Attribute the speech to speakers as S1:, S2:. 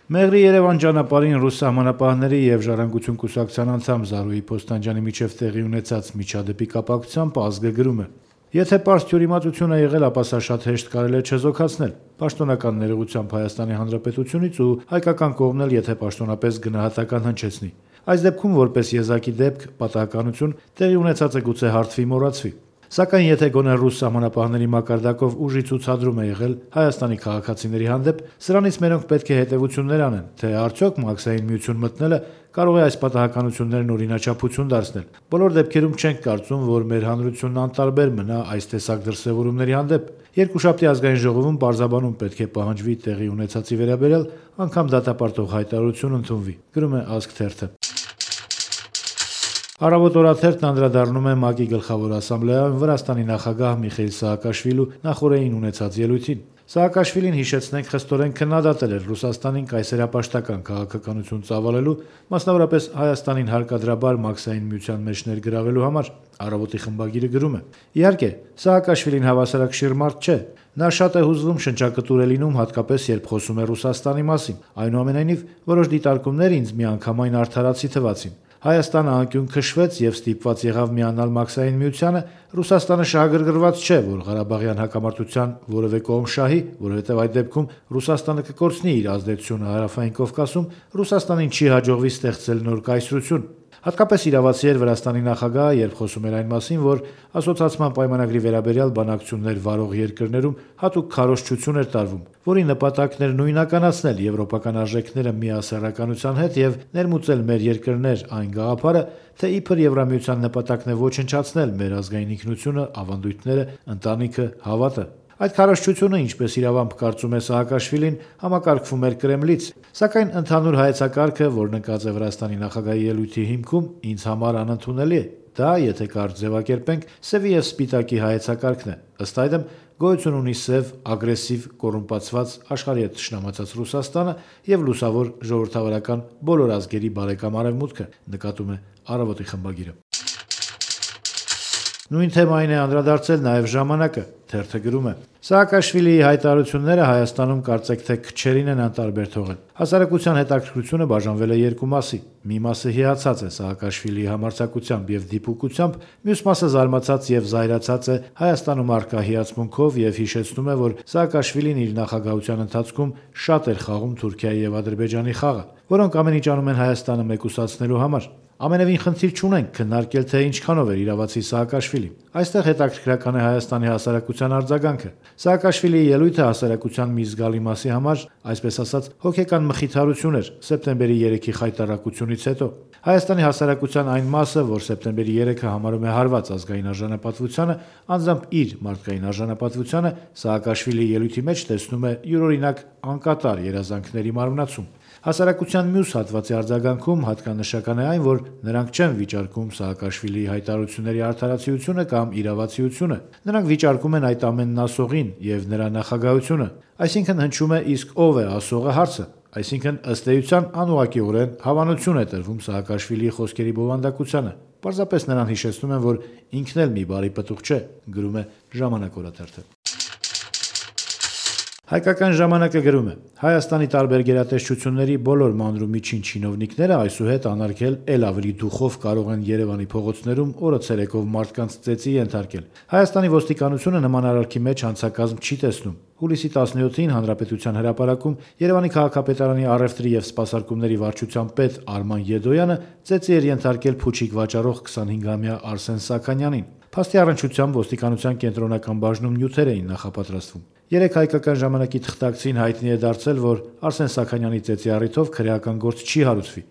S1: Մեղրի Երևան ճանապարհին ռուս սահմանապահների եւ Ժառանգություն կուսակցության անդամ Զարուհի Փոստանջյանի միջև տեղի ունեցած միջադեպի կապակցությամբ ազգը գրում է. Եթե պարզ թյուրիմացություն է եղել, ապա սա շատ հեշտ կարելի է չեզոքացնել։ Պաշտոնական ներողությամբ Հայաստանի Հանրապետությունից ու հայկական կողմն էլ եթե պաշտոնապես գնահատական հնչեցնի։ Այս դեպքում որպես եզակի դեպք պատահականություն տեղի ունեցածը գուցե հարթվի մոռացվի։ Սակայն եթե գոնե ռուս սահմանապահների մակարդակով ուժի ցուցադրում է եղել Հայաստանի քաղաքացիների հանդեպ, սրանից մերոնք պետք է հետևություններ անեն, թե արդյոք Մաքսային միություն մտնելը կարող է այս պատահականություններն օրինաչափություն դարձնել։ Բոլոր դեպքերում չենք կարծում, որ մեր հանրությունն անտարբեր մնա այս տեսակ դրսևորումների հանդեպ։ Երկուշաբթի ազգային ժողովում պարզաբանում պետք է պահանջվի տեղի ունեցածի վերաբերյալ, անգամ դատապարտող հայտարարություն ընդունվի, գրում է Ազգ թերթը։ Առավոտ օրաթերթն անդրադառնում է ՄԱԿ-ի գլխավոր ասամբլեայում Վրաստանի նախագահ Միխեիլ Սաակաշվիլու նախօրեին ունեցած ելույթին։ Սաակաշվիլին հիշեցնենք խստորեն քննադատել էր Ռուսաստանին կայսերապաշտական քաղաքականություն ծավալելու, մասնավորապես Հայաստանին հարկադրաբար Մաքսային միության մեջ ներգրավելու համար։ Առավոտի խմբագիրը գրում է. Իհարկե, Սաակաշվիլին հավասարակշիռ մարդ չէ։ Նա շատ է հուզվում շնչակտուր է լինում, հատկապես երբ խոսում է Ռուսաստանի մասին։ Այնուամենայնիվ, որոշ դիտարկումներ ինձ միանգամայն արդարացի թվացին։ Հայաստանը անկյուն քշվեց եւ ստիպված եղավ միանալ Մաքսային միությանը, Ռուսաստանը շահագրգռված չէ, որ Ղարաբաղյան հակամարտության որևէ կողմ շահի, որովհետեւ այդ դեպքում Ռուսաստանը կկորցնի իր ազդեցությունը Հարավային Կովկասում, Ռուսաստանին չի հաջողվի ստեղծել նոր կայսրություն։ Հատկապես իրավացի էր Վրաստանի նախագահը, երբ խոսում էր այն մասին, որ ասոցիացիան պայմանագրի վերաբերյալ բանակցություններ վարող երկրներում հատուկ քարոզչություն էր տարվում, որի նպատակն էր նույնականացնել եվրոպական արժեքները միասեռականության հետ եւ ներմուծել մեր երկրներ այն գաղափարը, թե իբր Եվրամիության նպատակն է ոչնչացնել մեր ազգային ինքնությունը, ավանդույթները, ընտանիքը, հավատը։ Այդ քարոզչությունը, ինչպես իրավամբ կարծում է Սաակաշվիլին, համակարգվում էր Կրեմլից, սակայն ընդհանուր հայեցակարգը, որ նկած է Վրաստանի նախագահի ելույթի հիմքում, ինձ համար անընդունելի է։ Դա, եթե կարճ ձևակերպենք, սևի եւ սպիտակի հայեցակարգն է։ Ըստ այդմ, գոյություն ունի սև, ագրեսիվ, կոռումպացված, աշխարհի հետ թշնամացած Ռուսաստանը եւ լուսավոր ժողովրդավարական բոլոր ազգերի բարեկամ Արևմուտքը, նկատում է Առավոտի խմբագիրը։ Նույն թեմային է անդրադարձել նաև ժամանակը, թերթը գրում է. Սաակաշվիլիի հայտարարությունները Հայաստանում կարծեք թե քչերին են անտարբեր թողել։ Հասարակության հետաքրքրությունը բաժանվել է երկու մասի։ Մի մասը հիացած է Սաակաշվիլիի համարձակությամբ եւ դիպուկությամբ, մյուս մասը զարմացած եւ զայրացած է Հայաստանում առկա հիացմունքով եւ հիշեցնում է, որ Սաակաշվիլին իր նախագահության ընթացքում շատ էր խաղում Թուրքիայի եւ Ադրբեջանի խաղը, որոնք ամեն ինչ անում են Հայաստանը մեկուսացնելու համար։ Ամենևին խնդիր չունենք քննարկել, թե ինչքանով էր իրավացի Սաակաշվիլին։ Այստեղ հետաքրքրական է Հայաստանի հասարակության արձագանքը։ Սաակաշվիլիի ելույթը հասարակության մի զգալի մասի համար, այսպես ասած, հոգեկան մխիթարություն էր սեպտեմբերի 3-ի խայտառակությունից հետո։ Հայաստանի հասարակության այն մասը, որ սեպտեմբերի 3-ը համարում է հարված ազգային արժանապատվությանը, անձամբ իր մարդկային արժանապատվությանը, Սաակաշվիլիի ելույթի մեջ տեսնում է յուրօրինակ անկատար երազանքների մարմնացում։ Հասարակության մյուս հատվածի արձագանքում հատկանշական է այն, որ նրանք չեն վիճարկում Սաակաշվիլիի հայտարարությունների արդարացիությունը կամ իրավացիությունը։ Նրանք վիճարկում են այդ ամենն ասողին եւ նրա նախագահությունը։ Այսինքն հնչում է իսկ ով է ասողը հարցը։ Այսինքն ըստ էության անուղղակիորեն հավանություն է տրվում Սաակաշվիլիի խոսքերի բովանդակությանը։ Պարզապես նրան հիշեցնում են, որ ինքն էլ մի բարի պտուղ չէ, գրում է Ժամանակ օրաթերթը։ Հայկական ժամանակը գրում է. Հայաստանի տարբեր գերատեսչությունների բոլոր մանրումիջին չինովնիկները այսուհետ անարգել էլ ավելի դուխով կարող են Երևանի փողոցներում օրը ցերեկով մարդկանց ծեծի ենթարկել։ Հայաստանի ոստիկանությունը նման արարքի մեջ հանցակազմ չի տեսնում։ Հուլիսի 17-ին Հանրապետության հրապարակում Երևանի քաղաքապետարանի առևտրի եւ սպասարկումների վարչության պետ Արման Եդոյանը ծեծի էր ենթարկել փուչիկ վաճառող 25-ամյա Արսեն Սաքանյանին։ Փաստի առնչությամբ ոստիկանության կենտրոնական բաժնում նյութեր էին նախապատրաստվում։ Երեք հայկական ժամանակի թղթակցին հայտնի է դարձել, որ Արսեն Սաքանյանի ծեծի առիթով քրեական գործ չի հարուցվի։